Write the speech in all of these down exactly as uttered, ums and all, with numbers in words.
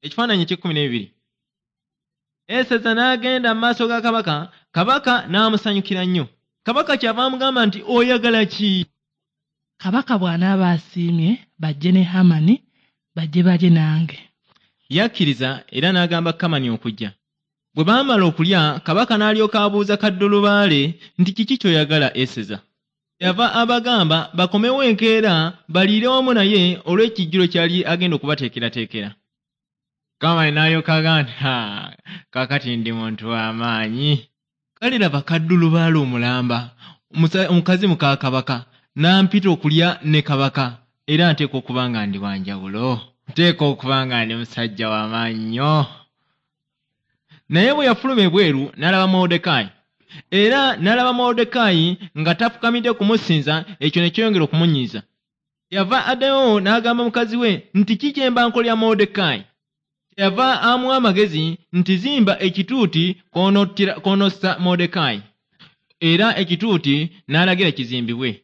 Ekifaananyi eky'ekkumi n'ebiri. Eseza n'agenda mu maaso ga kabaka, kabaka n'amusanyukira nnyo. Kabaka kyava amugamba nti oyagala ki? Kabaka bw'anaaba asiimye bajje ne Hamani, bajje balye nange. Yakkiriza era n'agamba Kamani okujja. Bwe baamala okulya, kabaka n'alyoka abuuza Kaddulubaale nti kiki ky'oyagala Eseza? Yava abagamba bakomewo enkeera baliire wamu naye olw'ekijjulo ky'ali agenda okubateekerateekera. Kamani n'alyoka agamba nti ha, kaakati ndi muntu w'amaanyi. Kale laba Kaddulubaale omulamba, omukazi muka kabaka, n'ampita okulya ne kabaka, era nteekwa okuba nga ndi wa njawulo. Nteekwa okuba nga ndi musajja w'amaanyi nnyo. Naye bwe yafuluma ebweru n'alaba Moluddekaayi. Era n'alaba Moluddekaayi nga tafukamidde kumusinza, ekyo ne kyeyongera okumunyiiza. Yava addayo n'agamba mukazi we nti ki kye mba nkolera Moluddekaayi? Kyeyava amuwa amagezi nti zimba ekituuti kw'onossa Moluddekaayi. Era ekituuti n'alagira kizimbibwe.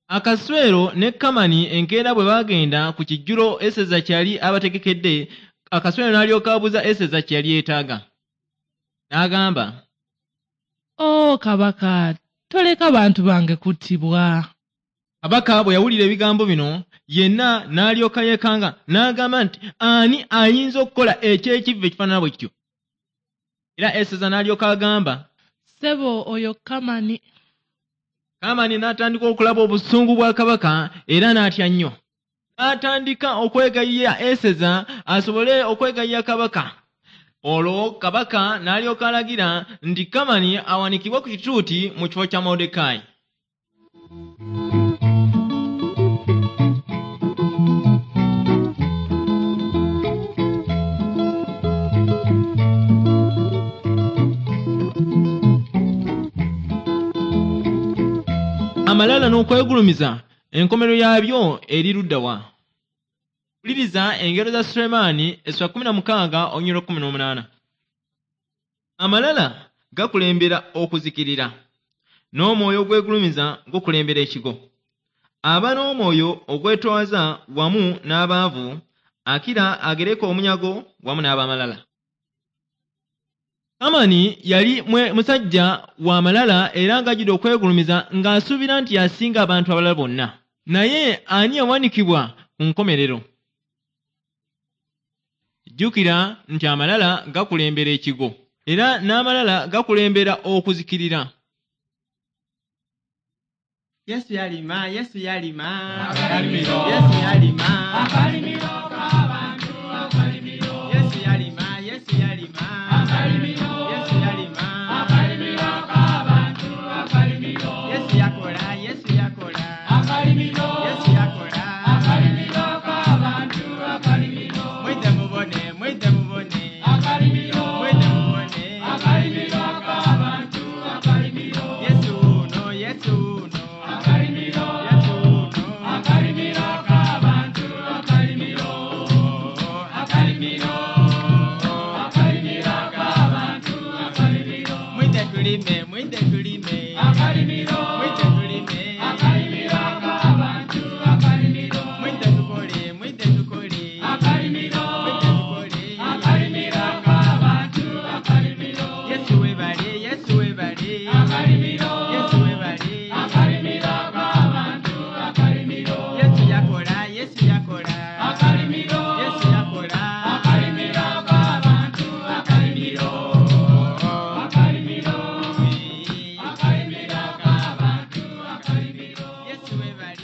Akaswero ne Kamani enkeera bwe baagenda ku kijjulo Eseza kyali abategekedde, Akaswero n'alyoka abuuza Eseza kye yali yeetaaga. N'agamba, "O kabaka, toleka bantu bange kuttibwa." Kabaka bwe yawulira ebigambo bino, yenna n'alyoka yeekanga n'agamba nti ani ayinza okukola eky'ekivve ekifaanana bwe kityo? Era Eseza n'alyoka agamba, "Ssebo oyo Kamani." Kamani n'atandika okulaba obusungu bwa kabaka era n'atya nnyo. N'atandika okwegayirira Eseza asobole okwegayirira kabaka. Olwo kabaka n'alyoka alagira nti Kamani awanikibwe ku kituuti mu kifo kya Moluddekaayi. Amalala n'okwegulumiza enkomerero yaabyo eri ludda wa? Wuliriza engero za Sulemaani essula kkumi na mukaaga olunyiriri kkumi n'omunaana. Amalala gakulembera okuzikirira, n'omwoyo ogwegulumiza gukulembera ekigo. Aba n'omwoyo ogwetoowaza wamu n'abaavu, akira agereka omunyago wamu n'abamalala. Kamani yali musajja wa malala era ng'ajjudde okwegulumiza ng'asuubira nti yasinga abantu abalala bonna. Naye ani yawanikibwa ku nkomerero? Jjukira nti amalala gakulembera ekigo era n'amalala gakulembera okuzikirira. Yesu yalima, Yesu yalima, Yesu yalima, Yesu yalima, Yesu yalima, Yesu yalima, Yesu yakola, Yesu yakola, Yesu yakola, mwite mubone, mwite mubone, mwite mubone, Yesu uno, Yesu uno, Yesu uno, mwite tulime, mwite tulime, mwite tulime, mwite tukole, mwite tukole, mwite tukole, Yesu webale, Yesu webale, Yesu webale, Yesu yakola, Yesu yakola, Yesu yakola, Yesu webale.